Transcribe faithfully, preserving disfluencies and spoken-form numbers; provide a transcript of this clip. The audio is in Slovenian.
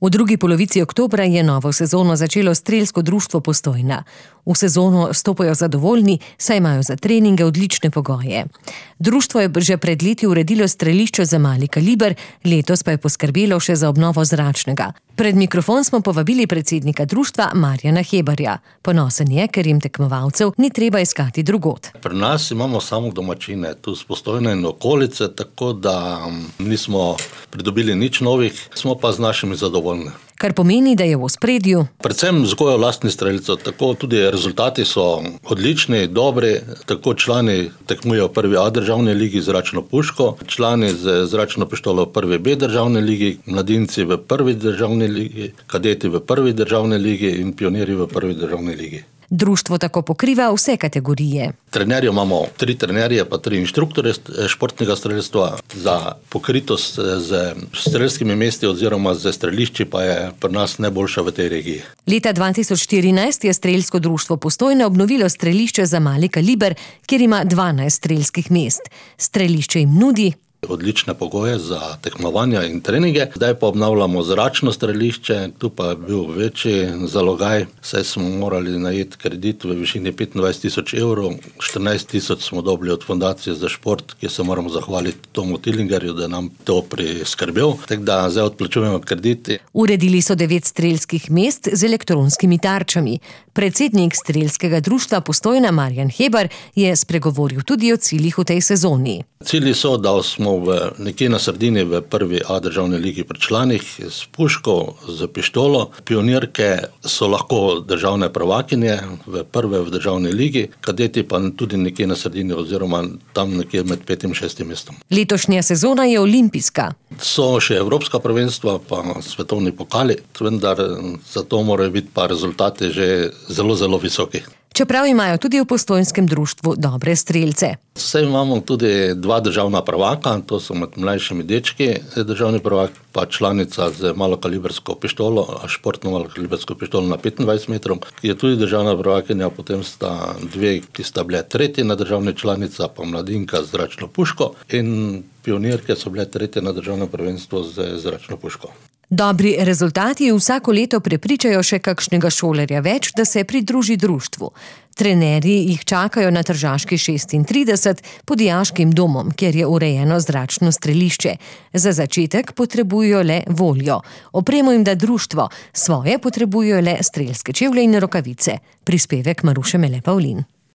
V drugi polovici oktobra je novo sezono začelo Strelsko društvo Postojna. V sezono stopajo zadovoljni, saj imajo za treninge odlične pogoje. Društvo je že pred leti uredilo strelišče za mali kaliber, letos pa je poskrbelo še za obnovo zračnega. Pred mikrofon smo povabili predsednika društva Marjana Hebarja. Ponosen je, ker jim tekmovalcev ni treba iskati drugod. Pri nas imamo samo domačine, tu z Postojne in okolice, tako da nismo pridobili nič novih, smo pa z našimi zadovoljni. Kar pomeni, da je v ospredju predvsem vzgoja lastnih strelcev, tako tudi rezultati so odlični, dobri, tako člani tekmujejo v prvi A državni ligi zračno puško, člani z zračno pištolo v prvi B državni ligi, mladinci v prvi državni ligi, kadeti v prvi državni ligi in pionirji v prvi državni ligi. Društvo tako pokriva vse kategorije. Trenerje imamo tri trenerje, pa tri inštruktorje športnega strelstva. Za pokritost z strelskimi mesti oziroma z strelišči pa je pri nas najboljša v tej regiji. Leta dva tisoč štirinajst je Strelsko društvo Postojna obnovilo strelišče za mali kaliber, kjer ima dvanajst strelskih mest. Strelišče jim nudi odlične pogoje za tekmovanja in treninge. Zdaj pa obnavljamo zračno strelišče, tu pa je bil večji zalogaj, saj smo morali najeti kredit v višini petindvajset tisoč evrov, štirinajst tisoč smo dobili od Fundacije za šport, ki se moramo zahvaliti Tomu Tilingerju, da nam to priskrbel, tako da zdaj odplačujemo krediti. Uredili so devet strelskih mest z elektronskimi tarčami. Predsednik Strelskega društva Postojna Marjan Hebar je spregovoril tudi o ciljih v tej sezoni. Cilji so, da smo v, nekje na sredini v prvi A državni ligi pri članih s puško, z pištolo. Pionirke so lahko državne prvakinje v prve v državni ligi, kadeti pa tudi nekje na sredini oziroma tam nekje med petim in šestim mestom. Letošnja sezona je olimpijska. So še evropska prvenstva pa svetovni pokali, vendar zato morajo biti pa rezultati že zelo, zelo visoki. Čeprav imajo tudi v Postojnskem društvu dobre strelce. Vse imamo tudi dva državna prvaka, to so med mlajšimi dečki, državni prvak pa članica z malokalibersko pištolo, športno malokalibersko pištolo na petindvajset metrov, ki je tudi državna prvakinja, potem sta dve, ki sta bile tretji na državni članica, pa mladinka z zračno puško in pionirke so bile tretje na državno prvenstvo z zračno puško. Dobri rezultati vsako leto prepričajo še kakšnega šolarja več, da se pridruži društvu. Trenerji jih čakajo na Tržaški šestintrideset pod dijaškim domom, kjer je urejeno zračno strelišče. Za začetek potrebujejo le voljo. Opremo jim da društvo, svoje potrebujejo le strelske čevlje in rokavice. Prispevek Maruše Mele Pavlin.